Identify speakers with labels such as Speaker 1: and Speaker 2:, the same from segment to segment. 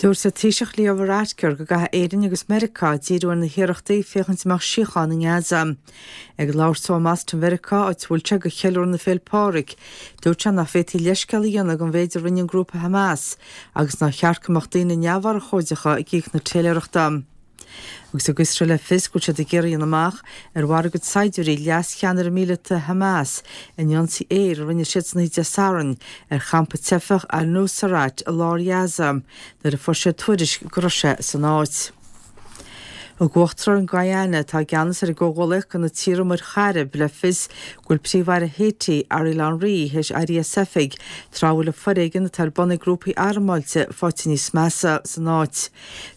Speaker 1: Dúirt an Taoiseach Leo Varadkar go gcaithfidh Éirinn agus Meiriceá díriú ar na hiarrachtaí féachaint an mbeadh síocháin i nGaza. Ag labhairt dó i mBoston Mheiriceá, áit a bhfuil sé do cheiliúradh na Féile Pádraig, dúirt sé nach bhféadfaí leithscéal a dhéanamh don mhéid a rinne an grúpa Hamas agus nár cheart go mbeadh daoine neamhurchóideacha ag íoc na téiléireachta. Agus thug Iosrael le fios go bhfuil siad ag iarraidh a dhéanamh amach ar mharaigh a gcuid saighdiúirí leas-cheannaire míleata Hamas in ionsaí aeir a rinne siad san oíche Dé Sathairn ar champa teifeach Al-Nuseirat i lár Ghaza nuair a fuair siad tuairisc go raibh sé san áit. Thug Uachtarán Guyana, atá i gceannas ar an gComhghuallaíocht de na tíortha Muir Chairib, le fios go bhfuil Príomh-Aire Haiti, Ariel Henry, théis éirí as oifig tráth a bhfuil an foréigean atá ar bun ag grúpaí armáilte faighte níos measa san áit.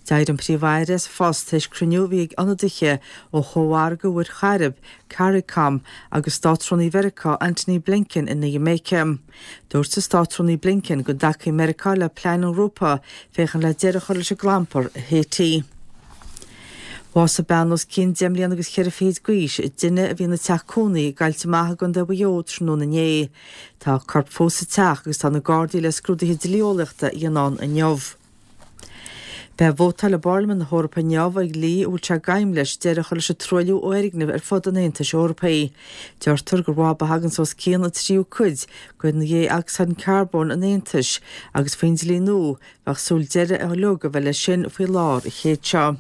Speaker 1: D'éirigh an Príomh-Aire as a phost tar éis cruinniú a bhí ag ionadaithe ó Chómhargadh Mhuir Chairib, Caricom, agus Státrúnaí Mheiriceá Antony Blinken in Iamáice. Dúirt an Státrúnaí Blinken go dtacaíonn Meiriceá le plean an ghrúpa féachaint le deireadh a chur leis an gclampar i Haiti. Bhásaigh bean os cionn deich mbliana agus cheithre fichid d'aois i dtine a bhí ina teach cónaí i gCoillte Macha i gContae Mhaigh Eo tráthnóna inné. Tá a corp fós sa teach agus tá na Gardaí le scrúduithe dlí-eolaíochta a dhéanamh ann inniu. Beidh vótáil i bPairlimint na hEorpa inniu ar dhlí a bhfuil sé d'aidhm leis deireadh a chur leis an truailliú ó fhoirgnimh ar fud an Aontais Eorpaigh. Deirtear gur mhaith ba thaganns os cionn an tríú cuid de dhé-ocsaíd carbóin an Aontais agus faoin dlí nua bheadh súil deireadh uilig a bheith leis sin faoi lár an chéid seo.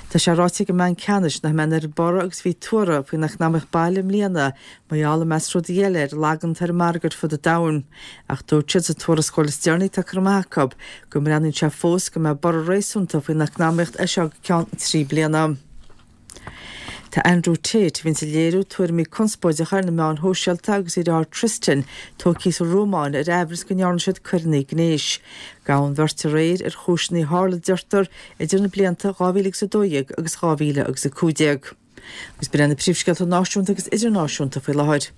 Speaker 1: Tá sé ráite ag an mBanc Ceannais nach mbeidh an oiread borradh agus a bhí tuartha faoin eacnamaíocht baile i mbliana mar gheall, i measc rudaí eile, ar an lagan atá ar an margadh ar fud an domhain. Ach dúirt siad sa tuarascáil is deireanaí atá curtha amach acu go mbreathnaíonn sé fós go mbeidh borradh réasúnta faoin eacnamaíocht as seo go ceann 3 bliana. Tá Andrew Tate, a bhíonns ag léiriú tuairimí conspóideacha ar na meáin shóisialta, agus a dheartháir Tristan tógtha sa Rómáin ar aimhreas go ndearna siad coireanna gnéis. Gabhadh an bheirt aréir ar chúiseanna a tharla, deirtear, idir na blianta 2012 agus 2015. Agus b'in iad na príomhscéalta náisiúnta agus idirnáisiúnta faoi láthair.